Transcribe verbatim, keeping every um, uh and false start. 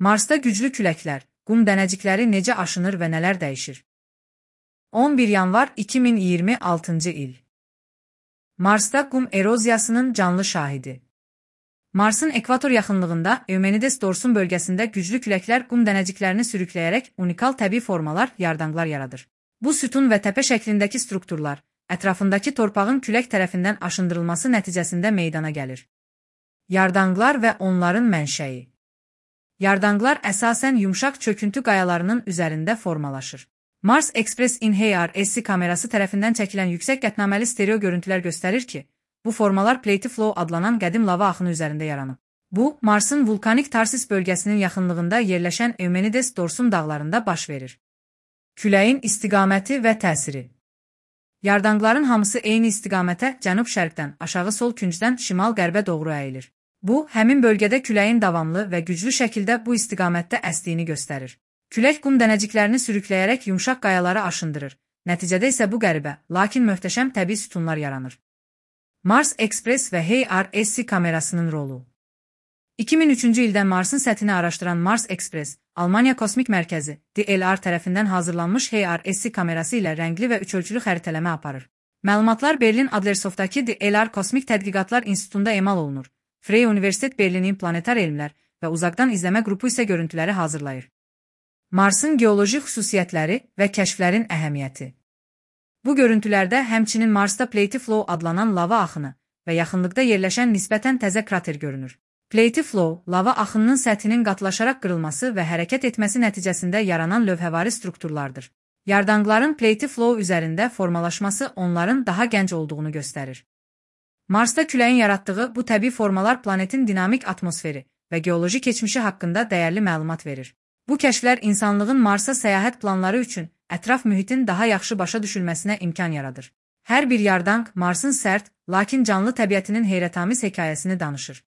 Marsda güclü küləklər, qum dənəcikləri necə aşınır və nələr dəyişir? on bir yanvar iki min iyirmi altıncı il. Marsda qum eroziyasının canlı şahidi. Marsın ekvator yaxınlığında Eumenides Dorsun bölgəsində güclü küləklər qum dənəciklərini sürükləyərək unikal təbii formalar, yardanqlar yaradır. Bu sütun və təpə şəklindəki strukturlar, ətrafındakı torpağın külək tərəfindən aşındırılması nəticəsində meydana gəlir. Yardanqlar və onların mənşəyi. Yardanqlar əsasən yumşaq çöküntü qayalarının üzərində formalaşır. Mars Express in H R S kamerası tərəfindən çəkilən yüksək qətnaməli stereo görüntülər göstərir ki, bu formalar Plate Flow adlanan qədim lava axını üzərində yaranıb. Bu, Marsın vulkanik Tarsis bölgəsinin yaxınlığında yerləşən Eumenides Dorsun dağlarında baş verir. Küləyin istiqaməti və təsiri. Yardanqların hamısı eyni istiqamətə cənub-şərqdən, aşağı-sol küncdən şimal-qərbə doğru əyilir. Bu, həmin bölgədə küləyin davamlı və güclü şəkildə bu istiqamətdə əsdiyini göstərir. Külək qum dənəciklərini sürükləyərək yumşaq qayaları aşındırır. Nəticədə isə bu qəribə, lakin möhtəşəm təbii sütunlar yaranır. Mars Express və H R S kamerasının rolu. iki min üçüncü ildə Marsın səthini araşdıran Mars Express, Almaniya Kosmik Mərkəzi D L R tərəfindən hazırlanmış H R S kamerası ilə rəngli və üçölçülü xəritələmə aparır. Məlumatlar Berlin Adlershoftdakı D L R Kosmik Tədqiqatlar İnstitutunda emal olunur. Freie Universitet Berlinin planetar elmlər və uzaqdan izləmə qrupu isə görüntüləri hazırlayır. Marsın geoloji xüsusiyyətləri və kəşflərin əhəmiyyəti. Bu görüntülərdə həmçinin Marsda Plate Flow adlanan lava axını və yaxınlıqda yerləşən nisbətən təzə krater görünür. Plate Flow, lava axınının səthinin qatılaşaraq qırılması və hərəkət etməsi nəticəsində yaranan lövhəvari strukturlardır. Yardanqların Plate Flow üzərində formalaşması onların daha gənc olduğunu göstərir. Marsda küləyin yaratdığı bu təbii formalar planetin dinamik atmosferi və geoloji keçmişi haqqında dəyərli məlumat verir. Bu kəşflər insanlığın Marsa səyahət planları üçün ətraf mühitin daha yaxşı başa düşülməsinə imkan yaradır. Hər bir yardanq Marsın sərt, lakin canlı təbiətinin heyrətamiz hekayəsini danışır.